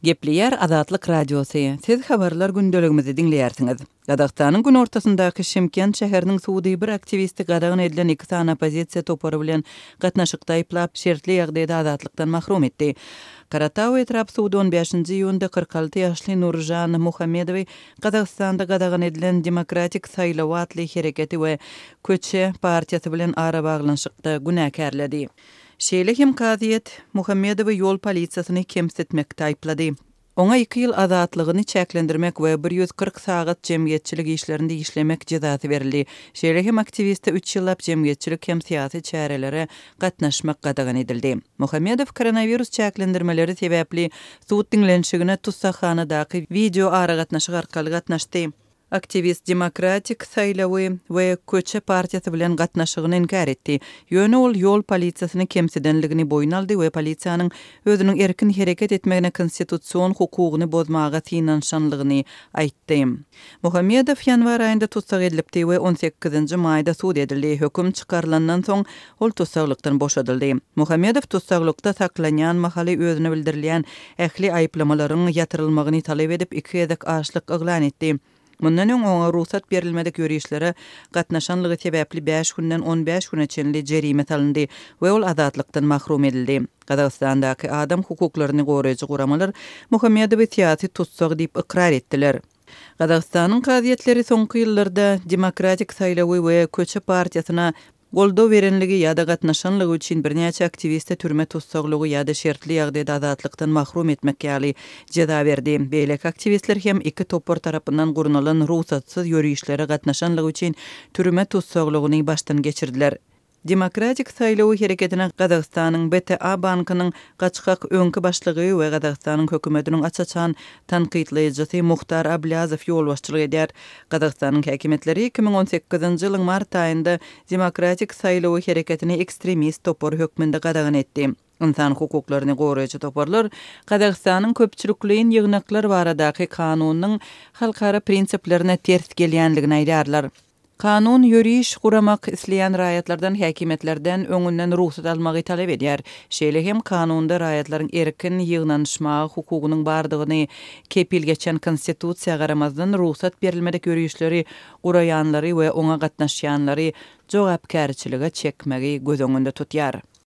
Gepleýär Azatlyk Radiosy, Siz habarlar gündeligimizi diňleýärsiňiz. Gazagystanyň günortasyndaky Şymkent şäheriniň sudy bir aktiwisti gadagan edilen iki sany oppozisiýa topary bilen gatnaşykda aýyplap, şertli ýagdaýda azatlykdan mahrum etdi. Karatau etrap sudy on bäşinji iýunda 46 ýaşly Nuržan Muhammedowy Gazagystanda gadagan edilen Demokratik saýlaw atly hereketi we Köçe partiýasy bilen arabaglanyşykda günäkärledi. Şeýle hem kazyýet Muhammedowy ýol polisiýasyny kemsitmekde aýyplady. Oňa iki ýyl azatlygyny çäklendirmek we 140 sagat jemgyýetçilik işlerinde işlemek jezasy berildi. Şeýle hem aktiwiste üç ýyllap jemgyýetçilik hem syýasy çärelere gatnaşmak gadagan edildi. Muhammedow koronawirus çäklendirmeleri sebäpli sud diňlenişigine tussaghanadaky wideoaragatnaşyk arkaly gatnaşdy. Aktiwist Demokratik saýlawy we Köçe partiýasy bilen gatnaşygyny inkär etdi. Ýöne ol ýol polisiýasyny kemsidenligini boýun aldy we polisiýanyň özüniň erkin hereket etmegine konstitusion hukugyny bozmaga synanyşanlygyny aýtdy. Muhammedow ýanwar aýynda tussag edilipdi we on sekizinji maýda sud edildi. Höküm çykarylandan soň, ol tussaglykdan boşadyldy. Muhammedow tussaglykda saklanýan mahaly özüne bildirilýän ähli aýyplamalaryň ýatyrylmagyny talap edip, iki gezek açlyk yglan etdi. Mundan öň oňa rugsat berilmedik ýörişlere gatnaşanlygy sebäpli bäş günden 15 güne çenli jerime salyndy we ol azatlykdan mahrum edildi. Gazagystandaky adam hukuklaryny goraýjy guramalar Muhammedowy syýasy tussag diýip ykrar etdiler. Gazagystanyň kazyýetleri soňky ýyllarda Demokratik saýlawy we Köçe partiýasyna goldaw berenligi ýa-da gatnaşanlygy üçin birnäçe aktiwiste türme tussaglygy ýa-da şertli ýagdaýda azatlykdan mahrum etmek ýaly jeza berdi. Beýleki aktiwistler hem iki topar tarapyndan gurnalan rugsatsyz ýörişlere gatnaşanlygy üçin türme tussaglygyny başdan geçirdiler. Demokratik saýlawy hereketine Gazagystanyň BTA bankynyň gaçgak öňki başlygy we Gazagystanyň hökümetiniň aç-açan tankytlaýjysy Muhtar Ablýazow ýolbaşçylyk edýär. Gazagystanyň häkimiýetleri 2018-nji ýylyň mart aýynda Demokratik saýlawy hereketini ekstremist topar hökmünde gadagan etdi. Ynsan hukuklaryny goraýjy toparlar Gazagystanyň köpçülikleýin ýygnaklar baradaky kanunynyň halkara prinsiplerine ters gelýändigini aýdýarlar. Kanun ýöriş guramak isleýän raýatlardan häkimiýetlerden öňünden rugsat almagy talap edýär. Şeýle hem kanunda raýatlaryň erkin ýygnanyşmaga hukugynyň bardygyny kepil geçen Konstitusiýa garamazdan rugsat berilmedik ýörişleri guraýanlary we oňa gatnaşýanlary jogapkärçilige çekmegi göz öňünde tutýar.